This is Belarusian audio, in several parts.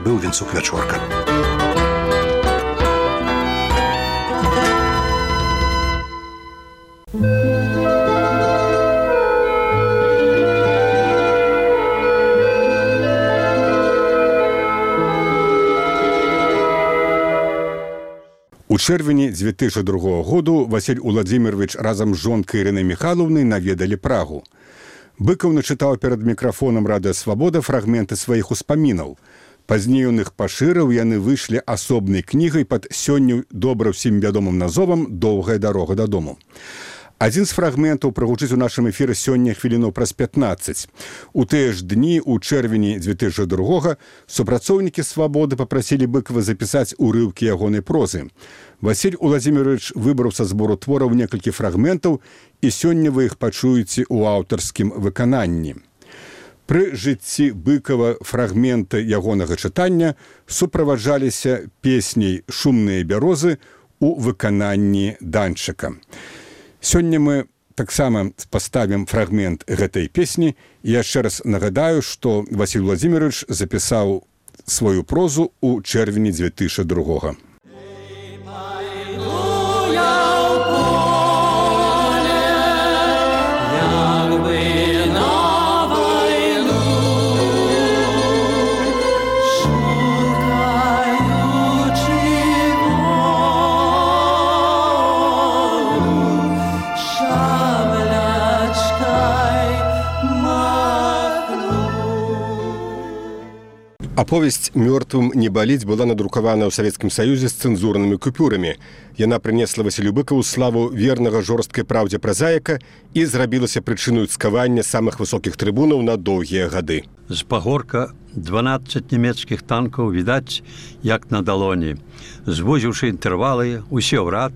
Быў вінцук вячорка. У чэрвені 2002 году Васіль Уладзімірович разам з жонкай Ірынай Міхайлаўнай наведалі Прагу. Быкаў начытаў перад мікрафонам «Радыё Свабода» фрагменты сваіх успамінаў. Пазней ён іх пашырыў, яны выйшлі асобнай кнігай пад сёння добра ўсім вядомым назовам «Доўгая дарога дадому». Адзін з фрагментаў прагучыць у нашым эфіры сёння хвілінаў праз 15. У тыя ж дні, у чэрвені 2002-го, супрацоўнікі «Свабоды» папрасілі Быкава запісаць урыўкі ягонай прозы. Васіль Уладзімірович выбраў са збору твораў некалькі фрагментаў, і сёння вы іх пачуеце ў аўтарскім выкананні. Пры жыцці Быкава фрагменты ягонага чытання суправаджаліся песняй «Шумныя бярозы» у выкананні Данчыка. Сёння мы таксама паставім фрагмент гэтай песні. Я яшчэ раз нагадаю, што Васіль Уладзімірович запісаў сваю прозу ў чэрвені 2002-го. Аповесць «Мёртвым не баліць» была надрукавана ў Савецкім Саюзе з цэнзурнымі купюрамі. Яна прынесла Васілю Быкаву славу вернага жорсткай праўдзе празаіка і зрабілася прычыною цкавання самых высокіх трыбунаў на доўгія гады. З пагорка 12 нямецкіх танкаў відаць, як на далоні. Звузіўшы інтэрвалы, усе ў рад,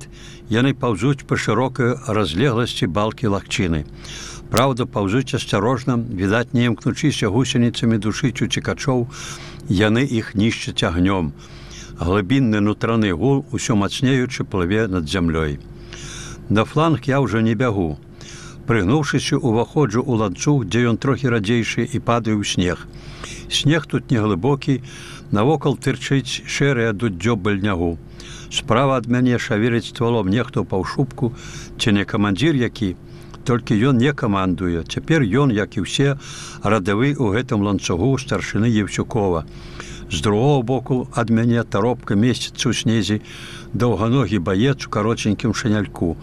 яны паўзуць па шырокай разлегласці балкі лагчыны. Праўда, паўзуць асцярожна, відаць, не імкнучыся гусеніцамі душыць уцекачоў, яны іх нішчаць агнём. Глыбінны нутраны гул, усё мацнеючы, плыве над зямлёй. На фланг я ўжо не бягу. Прыгнуўшыся, уваходжу ў ланцуг, дзе ён трохі радзейшы, і падаю ў снег. Снег тут неглыбокі, навокал тырчыць шэрае дуддзё быльнягу. Справа ад мяне шавеліць ствалом нехто ў паўшубку, ці не камандзір які. Толькі ён не камандуе. Цяпер ён, як і ўсе, радавы ў гэтым ланцугу старшыны Евсюкова. З другого боку ад мяне таропка месціцца ў снезе, даўганогі баец у кароценькім шаняльку.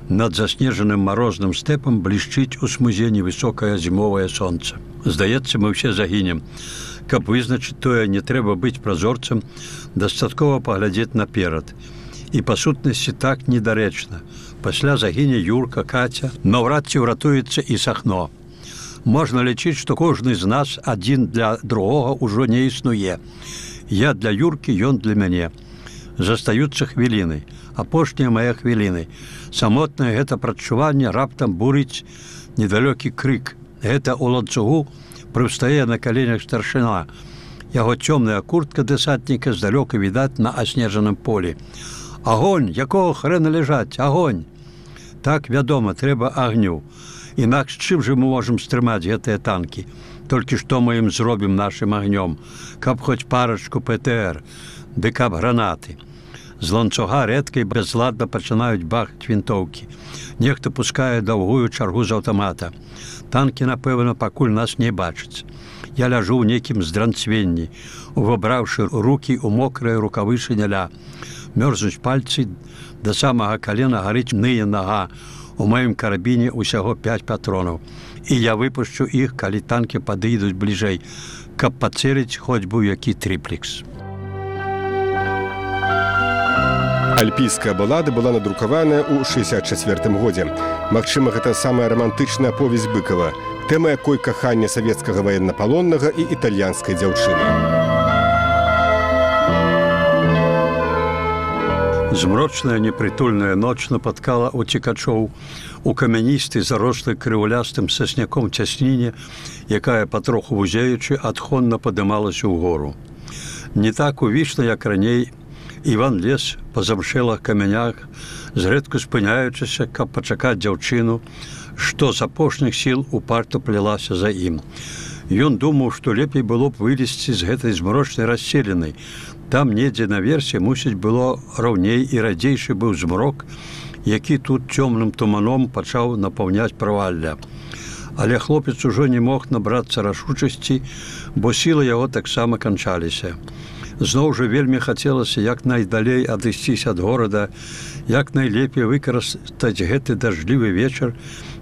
Над заснежаным марозным стэпам блішчыць у смузе невысокае зімовае сонца. Здаецца, мы ўсе загінем. Каб вызначыць тое, не трэба быць празорцам, дастаткова паглядзець наперад. І па сутнасці так недарэчна. Пасля загіне Юрка, Каця, наўрад ці ўратуецца і Сахно. Можна лічыць, што кожны з нас адзін для другога ўжо не існуе. Я для Юркі, ён для мяне. Застаюцца хвіліны, апошнія мае хвіліны. Самотнае гэта прадчуванне раптам бурыць недалёкі крык. Гэта ў ланцугу прыстае на каленях старшына. Яго цёмная куртка дэсантніка здалёка відаць на аснежаным полі. Агонь, якого хрэна ляжаць, агонь! Так, вядома, трэба агню. Інакш чым жа мы можам стрымаць гэтыя танкі? Толькі што мы ім зробім нашым агнём? Каб хоць парачку ПТР, ды каб гранаты. З ланцуга рэдка і бязладна пачынаюць бахаць вінтоўкі. Нехта пускае даўгую чаргу з аўтамата. Танкі, напэўна, пакуль нас не бачаць. Я ляжу ў нейкім здранцвенні, увабраўшы рукі ў мокрыя рукавы шыняля. Мёрзнуць пальцы, да самага калена гарыць ные нага. У маім карабіне ўсяго 5 патронаў. І я выпушчу іх, калі танкі падыйдуць бліжэй, каб пацэліць хоць бы які трыплекс. Альпійская балада была надрукаваная ў 1964 годзе. Магчыма, гэта самая рамантычная аповесць Быкава, тэма якой кахання савецкага ваеннапалоннага і італьянскай дзяўчыны. Змрочная непрытульная ноч напаткала уцекачоў у камяністай зарослай крыўлястым сасняком цясніне, якая патроху вузеючы адхонна падымалася ўгору. Не так увічна, як раней, Іван лез па замшэлых камянях, зрэдку спыняючыся, каб пачакаць дзяўчыну, што з апошніх сіл упарта плялася за ім. Ён думаў, што лепей было б вылезці з гэтай змрочнай расселенай. Там недзе наверсе, мусіць, было раўней і радзейшы быў змрок, які тут цёмным туманом пачаў напаўняць правалля. Але хлопец ужо не мог набрацца рашучасці, бо сілы яго таксама канчаліся. Зноў жа вельмі хацелася як найдалей адысціся ад горада, як найлепей выкарыстаць гэты дажджлівы вечар,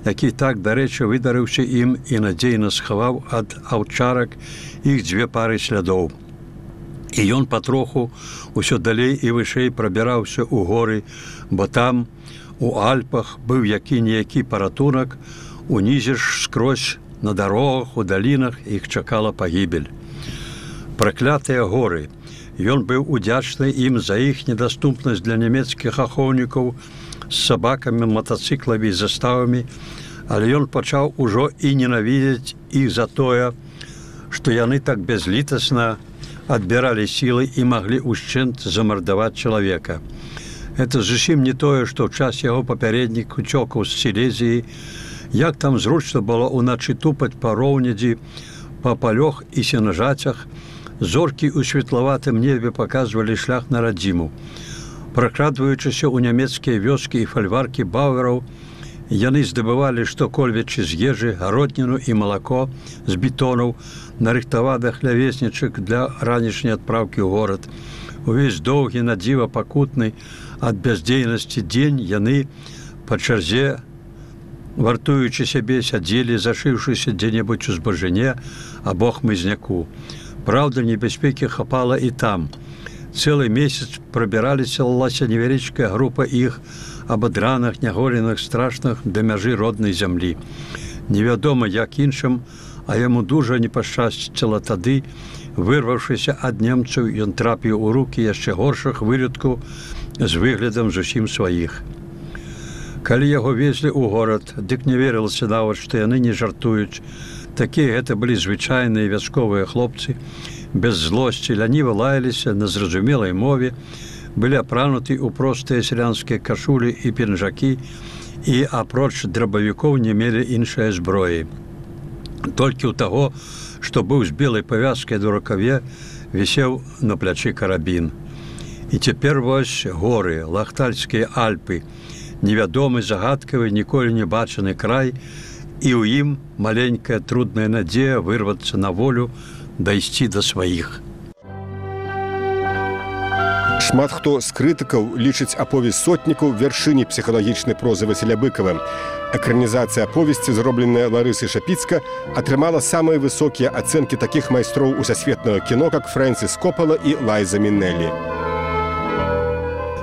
які так, дарэчы, выдарыўся ім і надзейна схаваў ад аўчарак іх 2 пары слядоў. І ён патроху ўсё далей і вышэй прабіраўся ў горы, бо там, у Альпах, быў які-ніякі паратунак, унізе ж скрозь на дарогах, у далінах іх чакала пагібель. Праклятыя горы. Ён быў удзячны ім за іх недаступнасць для нямецкіх ахоўнікаў з сабакамі, матацыкламі і заставамі, але ён пачаў ужо і ненавідзець іх за тое, што яны так бязлітасна адбіралі сілы і маглі ўшчэнт замардаваць чалавека. Гэта зусім не тое, што ў час яго папярэднік уцёкаў з Сілезіі, як там зручна было ўначы тупаць па роўнядзі, па палёх і сенажацях, зоркі ў светлаватым небе паказвалі шлях на радзіму. Пракрадваючыся ў нямецкія вёскі і фальваркі бауэраў, яны здабывалі штокольвечы з ежы, гародніну і малако з бетонаў, нарыхтаваных лявеснічак для ранішняй адпраўкі ў горад. Увесь доўгі, надзіва пакутны ад бяздзейнасці дзень яны па чарзе, вартуючы сябе, сядзелі, зашыўшыся дзе-небудзь у збажыне або хмызняку. Праўда, небяспекі хапала і там. Цэлы месяц прабіралася невялічкая група іх абадраных, няголеных, страшных да мяжы роднай зямлі. Невядома, як іншым, а яму дужа не пашчасціла тады, вырваўшыся ад немцаў, ён трапіў у рукі яшчэ горшых вылюдкаў з выглядам зусім сваіх. Калі яго везлі ў горад, дык не верылася нават, што яны не жартуюць. Такія гэта былі звычайныя вясковыя хлопцы, без злосці, ляніва лаяліся на зразумелай мове, былі апрануты ў простыя сялянскія кашулі і пінжакі і, апроч драбавікоў, не мелі іншай зброі. Толькі ў таго, што быў з белай павязкай на рукаве, вісеў на плячы карабін. І цяпер вось горы, Лахтальскія Альпы, невядомы, загадкавы, ніколі не бачаны край, і ў ім маленькая трудная надзея вырвацца на волю, дайсці да сваіх. Шмат хто з крытыкаў лічыць аповесць сотнікаў вяршыняй псіхалагічнай прозы Васіля Быкава. Экранізацыя аповесці, зробленая Ларысай Шапіцка, атрымала самыя высокія ацэнкі такіх майстроў усасветнага кіно, як Фрэнсіс Копала і Лайза Мінелі.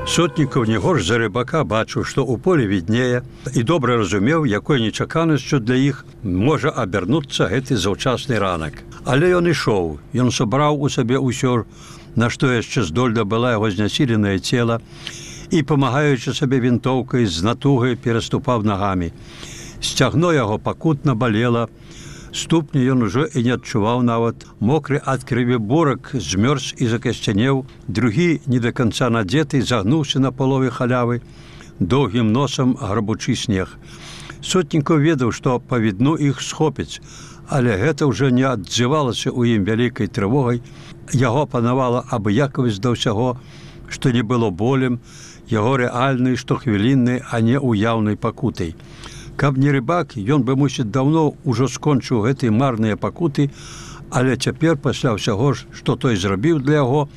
Сотнікаў не горш за Рыбака бачыў, што ў полі віднее, і добра разумеў, якой нечаканасцю для іх можа абярнуцца гэты заўчасны ранак. Але ён ішоў, ён сабраў у сабе ўсё, на што яшчэ здольна была яго знясіленае цела, і, памагаючы сабе вінтоўкай, з натугай пераступаў нагамі. Сцягно яго пакутна балела, ступні ён ужо і не адчуваў нават. Мокры ад крыві бурак змёрз і закасцянеў, другі, не да канца надзеты, загнуўся на палове халявы, доўгім носам грабучы снег. Сотнікаў ведаў, што па відну іх схопіць, але гэта ўжо не адзывалася ў ім вялікай трывогай. Яго панавала абыякавасць да ўсяго, што не было болем, яго рэальнай, штохвіліннай, а не уяўнай пакутай. Каб не Рыбак, ён бы, мусіць, даўно ўжо скончыў гэтыя марныя пакуты, але цяпер, пасля ўсяго, што той зрабіў для яго,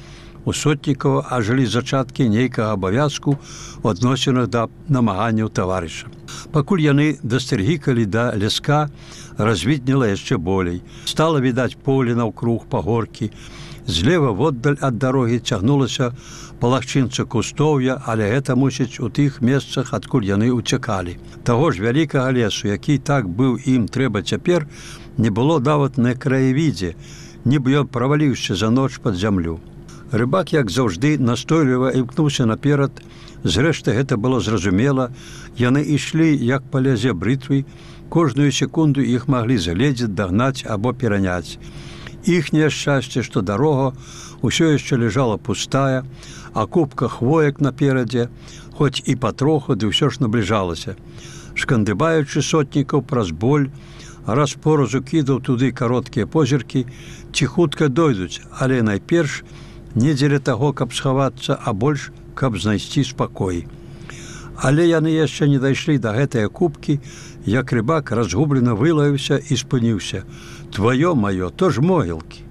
у Сотнікава ажылі зачаткі нейкага абавязку ў адносінах да намаганняў таварыша. Пакуль яны дасцяргікалі да ляска, развіднела яшчэ болей. Стала відаць поле наўкруг, пагоркі. Злева воддаль ад дарогі цягнулася палахчынца кустоўя, але гэта, мусіць, у тых месцах, адкуль яны ўцякалі. Таго ж вялікага лесу, які так быў ім трэба цяпер, не было нават на краявідзе, нібы ён праваліўся за ноч пад зямлю. Рыбак, як заўжды, настойліва імкнуўся наперад. Зрэшты, гэта было зразумела. Яны ішлі, як па лязе брытвы. Кожную секунду іх маглі загледзець, дагнаць або пераняць. Іхняе шчасце, што дарога ўсё яшчэ ляжала пустая, а купка хвоек наперадзе, хоць і патроху, ды ўсё ж набліжалася. Шкандыбаючы Сотнікаў праз боль, раз поразу кідаў туды кароткія позіркі, ці хутка дойдуць, але найперш не дзеля таго, каб схавацца, а больш, каб знайсці спакой. Але яны яшчэ не дайшлі да гэтыя купкі, як рыбак разгублена вылаяўся і спыніўся. Тваё маё, то ж могілкі.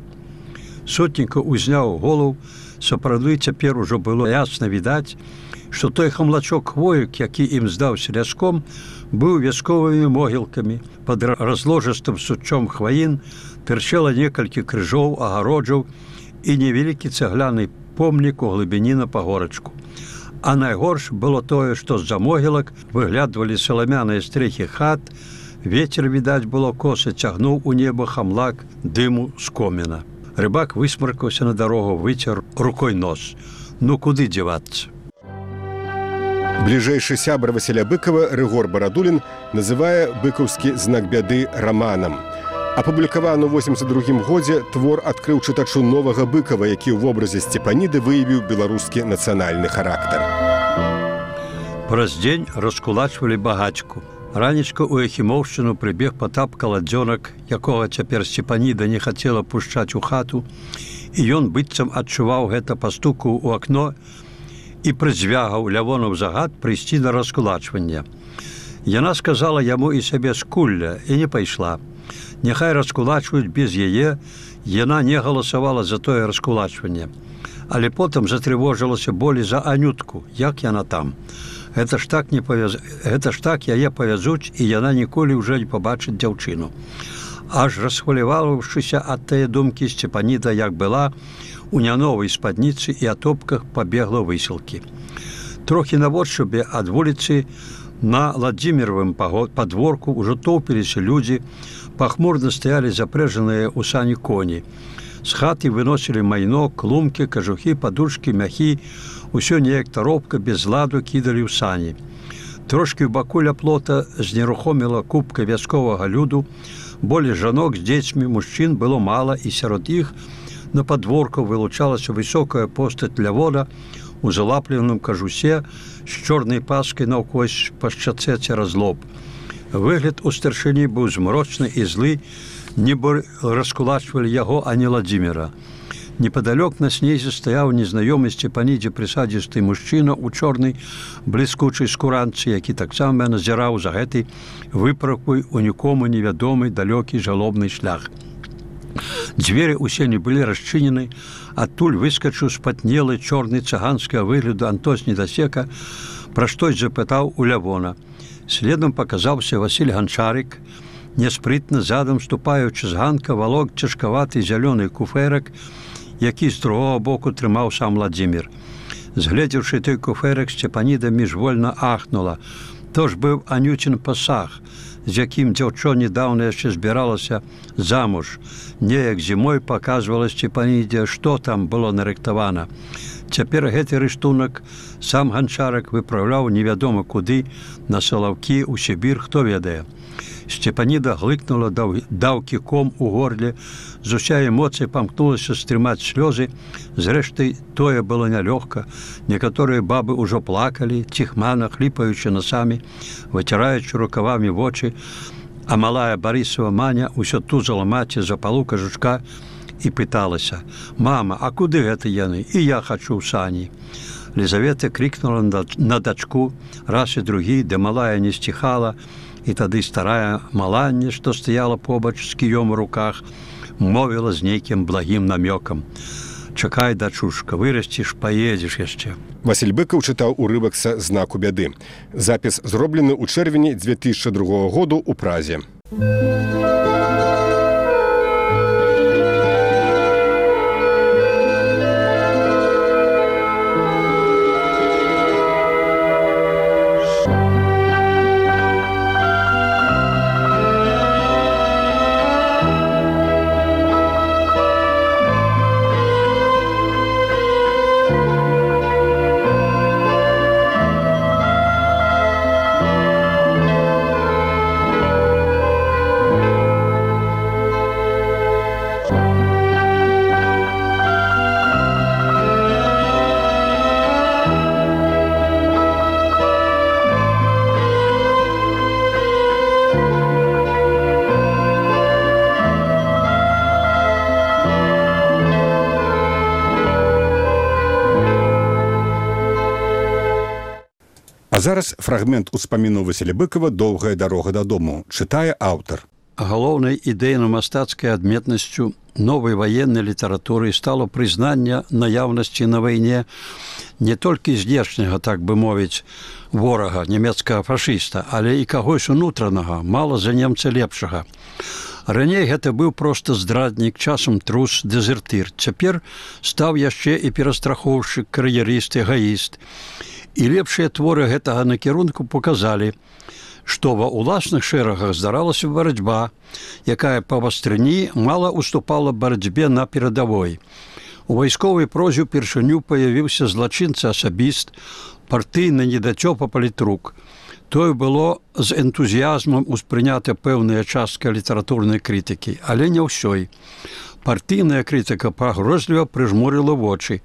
Сотніка узняў голову, сапраўды цяпер ужо было ясна відаць, што той хамлачок хвоек, які ім здаўся ляском, быў вясковымі могілкамі. Пад разложыстым сучом хваін тырчэла некалькі крыжоў, агароджаў і невялікі цагляны помнік у глыбіні на пагорачку. А найгорш было тое, што з-за могілак выглядвалі саламяныя стрэхі хат, вецер, відаць, было коса, цягнуў у неба хамлак дыму з коміна. Рыбак высмаркаўся на дарогу, выцер рукой нос. Ну, куды дзявацца? Бліжэйшы сябар Васіля Быкова Рыгор Барадулін называе быкаўскі знак бяды раманам. Апублікаваны ў 82 годзе твор адкрыў чытачу новага Быкова, які ў вобразе Сцепаніды выявіў беларускі нацыянальны характар. Праз дзень раскулачвалі багацьку. Ранечка ў Яхімоўшчыну прыбег Патап Каладзёнак, якога цяпер Сцепаніда не хацела пушчаць у хату, і ён быццам адчуваў гэта, пастукаў у акно і прызвягаў Лявонаў загад прыйсці на раскулачванне. Яна сказала яму і сабе скулля і не пайшла. Няхай раскулачваюць без яе, яна не галасавала за тое раскулачванне. Але потым затрывожылася болей за Анютку, як яна там. Гэта ж так яе павязуць, і яна ніколі ўжо не пабачыць дзяўчыну. Аж расхваляваўшыся ад тае думкі, Сцепаніда, як была, у няновай спадніцы і атопках пабегла высілкі. Трохі наводшыбе ад вуліцы на Ладзіміровым падворку ўжо тоўпіліся людзі, пахмурна стаялі запрэжаныя ў сані коні. З хаты выносілі майно, клумкі, кажухі, падушкі, мяхі, усё неяк таропка без ладу кідалі ў сані. Трошкі ў баку ля плота знерухоміла купка вясковага люду, болей жанок з дзецьмі, мужчын было мала, і сярод іх на падворку вылучалася высокая постаць Лявона у залапленым кажусе з чорнай паскай наўкось па шчацэ цераз лоб. Выгляд у старшыні быў змрочны і злы, нібы раскулачвалі яго, а не Ладзіміра. Непадалёк на снезе стаяў незнаёмы Сцепанідзе прысадзісты мужчына ў чорнай бліскучай скуранцы, які таксама назіраў за гэтай выправкой у нікому невядомы далёкі жалобны шлях. Дзверы ўсе не былі расчынены, адтуль выскачыў спатнелы чорны цыганскага выгляду Антос Недасека, пра штось запытаў у Лявона. Следам паказаўся Васіль Ганчарык, няспрытна задам ступаючы з ганка валок цяжкаваты зялёны куфэрак, які з другога боку трымаў сам Ладзімір. Згледзеўшы той куфэрак, Сцепаніда міжвольна ахнула. То ж быў Анюцін пасаг, з якім дзяўчо недаўна яшчэ збіралася замуж. Неяк зімой паказвала Сцепанідзе, што там было нарыхтавана. Цяпер гэты рыштунак сам Ганчарак выпраўляў невядома куды, на Салаўкі, у Сібір, хто ведае. Сцепаніда глыкнула, даў кіком у горле, з уся эмоцыя памкнулася стрымаць слёзы. Зрэшты, тое было нялёгка. Некаторыя бабы ўжо плакалі, ціхмана, хліпаючы насамі, выціраючы рукавамі вочы, а малая Барысава Маня ўсё тузала маці за палу кажучка і пыталася: «Мама, а куды гэта яны? І я хачу ў сані». Лізавета крикнула на дачку раз і другі, де малая не сціхала, і тады старая Маланне, што стаяла побач з кіём у руках, мовіла з нейкім благім намёкам: «Чакай, дачушка, вырасціш, паедзеш яшчэ». Васіль Быкаў чытаў урывак са знаку бяды. Запіс зроблены ў чэрвені 2002 году ў Празе. зараз фрагмент успаміну Васіля Быкова «Доўгая дарога дадому», чытае аўтар. Галоўнай ідэйна-мастацкай адметнасцю новай ваеннай літаратуры стало прызнанне наяўнасці на вайне не толькі знешняга, так бы мовіць, ворага, нямецкага фашыста, але і кагось унутранага, мала за немца лепшага. Раней гэта быў проста здраднік, часам трус, дэзертыр. Цяпер стаў яшчэ і перастрахоўшчык, кар'ерыст, эгаіст. І лепшыя творы гэтага накірунку показалі, што ва ўласных шэрагах здаралася барацьба, якая па вастрыні мала уступала барацьбе на перадавой. У вайсковай прозе ўпершыню паявіўся злачынца-асабіст, партыйны недацёпа палітрук. Тое было з энтузіязмам успрынята пэўная частка літаратурнай крытыкі, але не ўсёй. Партыйная крытыка пагрозліва прыжмурыла вочы.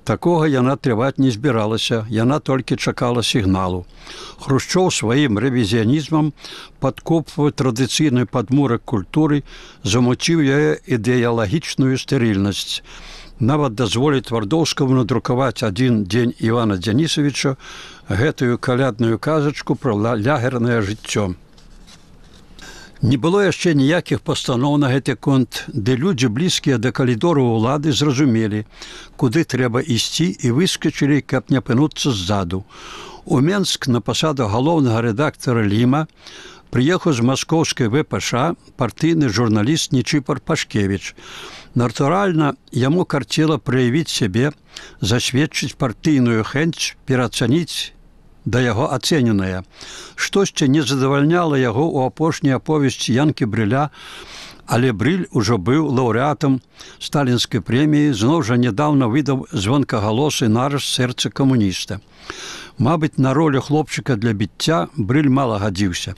Такога яна трываць не збіралася, яна толькі чакала сігналу. Хрушчоў сваім рэвізіянізмам падкопваў традыцыйны падмурак культуры, замуціў яе ідэалагічную стэрыльнасць. Нават дазволіць Твардоўскаму надрукаваць адзін дзень Івана Дзянісавіча гэтую калядную казачку пра лягернае жыццё. Не было яшчэ ніякіх пастаноў на гэты конт, де людзі, блізкія да калідору ўлады, зразумелі, куды трэба ісці і выскачылі, каб не апынуцца ззаду. У Менск на пасаду галоўнага рэдактара Ліма прыехаў з маскоўскай ВПШ партыйны журналіст Нечыпар Пашкевіч. Натуральна, яму карцела праявіць сябе, засведчыць партыйную хэнць, пераацаніць да яго ацэненае. Штосьці не задавальняла яго ў апошняй аповесці Янкі Брыля, але Брыль ужо быў лаўрэатам сталінскай прэміі, зноў жа нядаўна выдаў звонкагалосы нарыс сэрца камуніста. Мабыць, на ролю хлопчыка для біцця Брыль мала гадзіўся.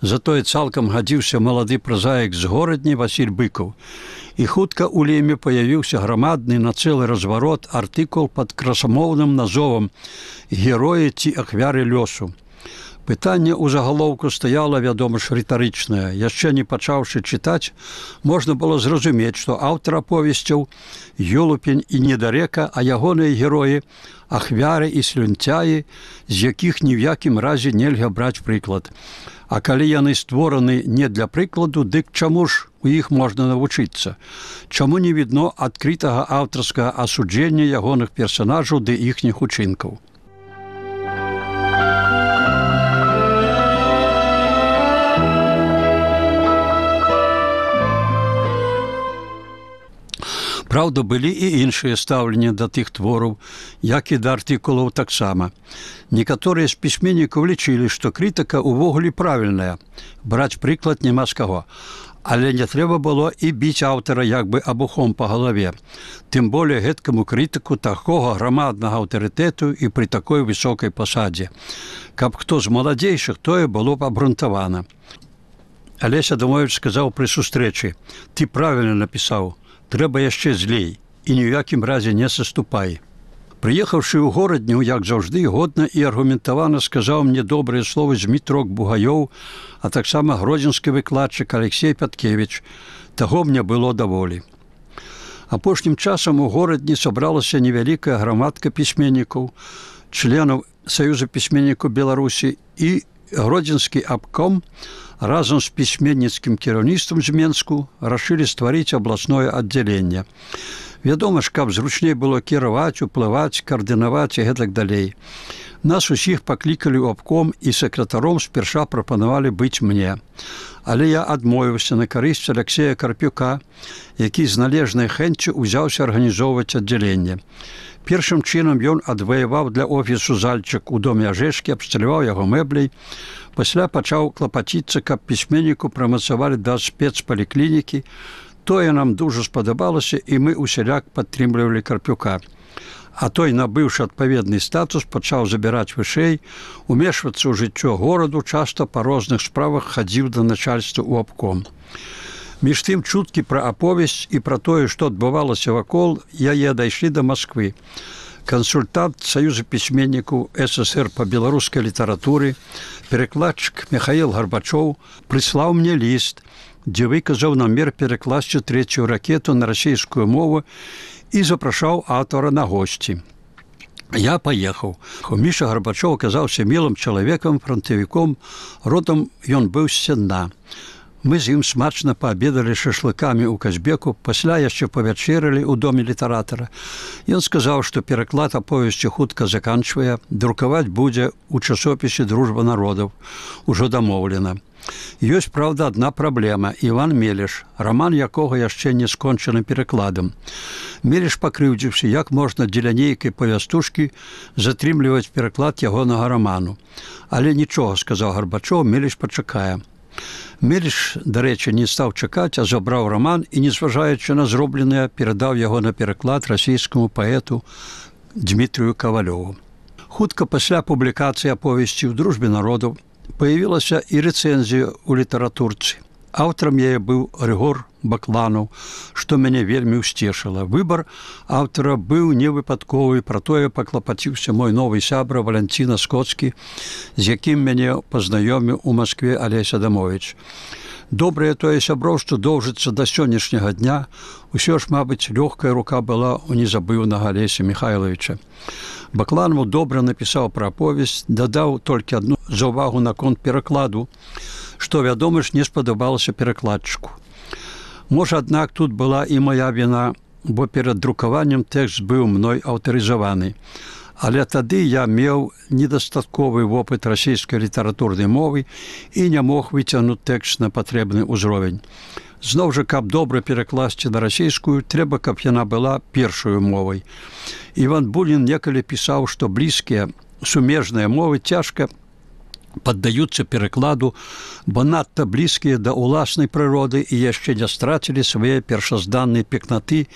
Затое цалкам гадзіўся малады празаік з горадні Васіль Быкаў. І хутка ў Леме паявіўся грамадны на цэлы разварот артыкул пад красамоўным назовам «Героі ці ахвяры лёсу». Пытанне ў загалоўку стаяла, вядома ж, рытарычнае. Яшчэ не пачаўшы чытаць, можна было зразумець, што аўтар аповесцяў Ёлупень і Недарека, а ягоныя героі – ахвяры і слюнцяі, з якіх ні ў якім разе нельга браць прыклад. А калі яны створаны не для прыкладу, дык чаму ж у іх можна навучыцца? Чаму не відно адкрытага аўтарскага асуджэння ягоных персанажаў ды іхніх учынкаў? Праўда, былі і іншыя стаўленні да тых твораў, як і да артыкулаў таксама. Некаторыя з пісьменнікаў лічылі, што крытыка ўвогуле правільная, браць прыклад няма з каго. Але не трэба было і біць аўтара як бы абухом па галаве. Тым болей гэткаму крытыку такога грамаднага аўтарытэту і пры такой высокай пасадзе. Каб хто з маладзейшых, тое было б абрунтавана. Алесь Адамовіч сказаў пры сустрэчы: «Ты правільна напісаў, трэба яшчэ злей і ні ў якім разе не саступай». Прыехаўшы ў горадню, як заўжды, годна і аргументавана сказаў мне добрыя словы Змітрок Бугаёў, а таксама гродзенскі выкладчык Алексей Пяткевіч. Таго мне было даволі. Апошнім часам у горадні сабралася невялікая грамадка пісьменнікаў, членаў Саюза пісьменнікаў Беларусі, і гродзенскі абком разам з пісьменніцкім кіраўніцтвам з Менску рашылі стварыць абласное аддзяленне. Вядома ж, каб зручней было кіраваць, уплываць, каардынаваць і гэтак далей. Нас усіх паклікалі ў абком і сакратаром спярша прапанавалі быць мне. Але я адмовіўся на карысць Алексея Карпюка, які з належнай хэнццю ўзяўся арганізоўваць аддзяленне. Першым чынам ён адваяваў для офісу зальчык у доме Ажэшкі, абсталяваў яго мэбляй. Пасля пачаў клапаціцца, каб пісьменніку прамацавалі да спецпаліклінікі. Тое нам дужа спадабалася, і мы усяляк падтрымлівалі Карпюка. А той, набыўшы адпаведны статус, пачаў забіраць вышэй, умешвацца ў жыццё гораду, часта па розных справах хадзіў да начальства ў абком. Між тым чуткі пра аповесць і пра тое, што адбывалася вакол, яе дайшлі да Масквы. Кансультант Саюза пісьменнікаў СССР па беларускай літаратуры, перакладчык Михаил Гарбачоў прыслаў мне ліст, дзе выказаў намер перакласці 3-ю ракету на расійскую мову і запрашаў аўтара на госці. Я паехаў. Міша Гарбачоў аказаўся мілым чалавекам, фронтавіком, родам ён быў з Сенна. Мы з ім смачна паабедалі шашлыкамі ў Казбеку, пасля яшчэ павячэралі ў доме літаратара. Ён сказаў, што пераклад аповесці хутка заканчвае, друкаваць будзе ў часопісе «Дружба народаў». Ужо дамоўлена. Ёсць, праўда, адна праблема. Іван Меліш, раман якога яшчэ не скончаны перакладам. Меліш пакрыўдзіўся, як можна дзеля нейкай павястушкі затрымліваць пераклад ягонага раману. Але нічога, сказаў Гарбачоў, Меліш пачакае. Меліш, дарэчы, не стаў чакаць, а забраў раман і, незважаючы на зробленае, перадаў яго на пераклад расійскаму паэту Дмітрію Кавалёву. Хутка пасля публікацыі аповесці ў «Дружбе народаў» появілася і рэцэнзія ў літаратурцы. Аўтарам яе быў Рыгор Бакланаў, што мяне вельмі ўсцешыла. Выбар аўтара быў невыпадковы, пра тое паклапаціўся мой новы сябра Валянціна Скоцкі, з якім мяне пазнаёміў у Маскве Алесь Адамовіч. Добрае тое сяброўства доўжыцца да сённяшняга дня. Усё ж, мабыць, лёгкая рука была ў незабыўнага Алеся Михайловича. Бакланаў добра напісаў пра аповесць, дадаў толькі адну заўвагу наконт перакладу, што, вядома ж, не спадабалася перакладчыку. Можа, аднак, тут была і моя віна, бо перад друкаваннем тэкст быў мной аўтарызаваны. Але тады я меў недастатковы вопыт расійскай літаратурнай мовы і не мог выцягнуць тэкст на патрэбны ўзровень. Зноў жа, каб добра перакласці на расійскую, трэба, каб яна была першаю мовай. Іван Бунін некалі пісаў, што блізкія сумежныя мовы цяжка паддаюцца перакладу, бо надта блізкія да ўласнай прыроды і яшчэ не страцілі свае першазданныя пекнаты,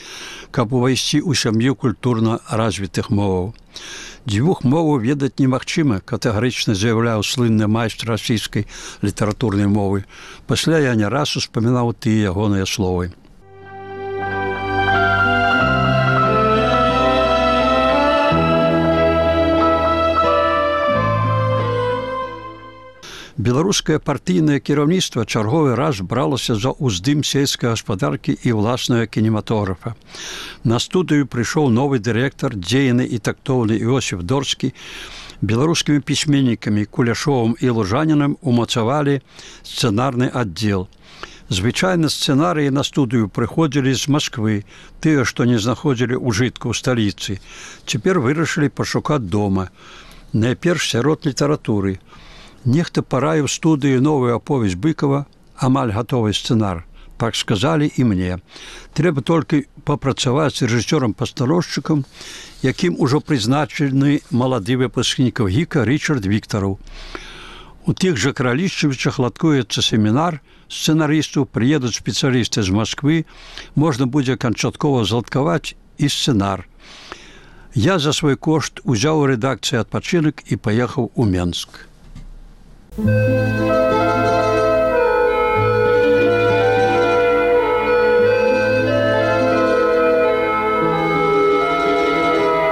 каб увайсці ў сям'ю культурна развітых моваў. Дзвюх моваў ведаць немагчыма, катэгарычна заяўляў слынны майстр расійскай літаратурнай мовы. Пасля я не раз успамінаў тыя ягоныя словы. Беларускае партыйнае кіраўніцтва чарговы раз бралася за ўздым сельскай гаспадаркі і ўласнага кінематографа. На студыю прыйшоў новы дырэктар, дзейны і тактоўны Іосиф Дорскі. Беларускімі пісьменнікамі Куляшовым і Лужанінам умацавалі сцэнарны аддзел. Звычайна сцэнарыі на студыю прыходзілі з Масквы, тыя, што не знаходзілі ўжытку ў сталіцы. Цяпер вырашылі пашукаць дома. Найперш сярод літаратуры. Нехта параіў студыі новую аповесць Быкова, амаль гатовы сцэнар. Так сказалі і мне. Трэба толькі папрацаваць з рэжысёрам-пастановшчыкам, якім ужо прызначаны малады выпускнік ГІКа Рычард Віктараў. У тых жа Кралішчавічах ладкуецца семінар сцэнарыстаў, прыедуць спецыялісты з Масквы, можна будзе канчаткова зладкаваць і сцэнар. Я за свой кошт узяў у рэдакцыі адпачынак і паехаў у Менск.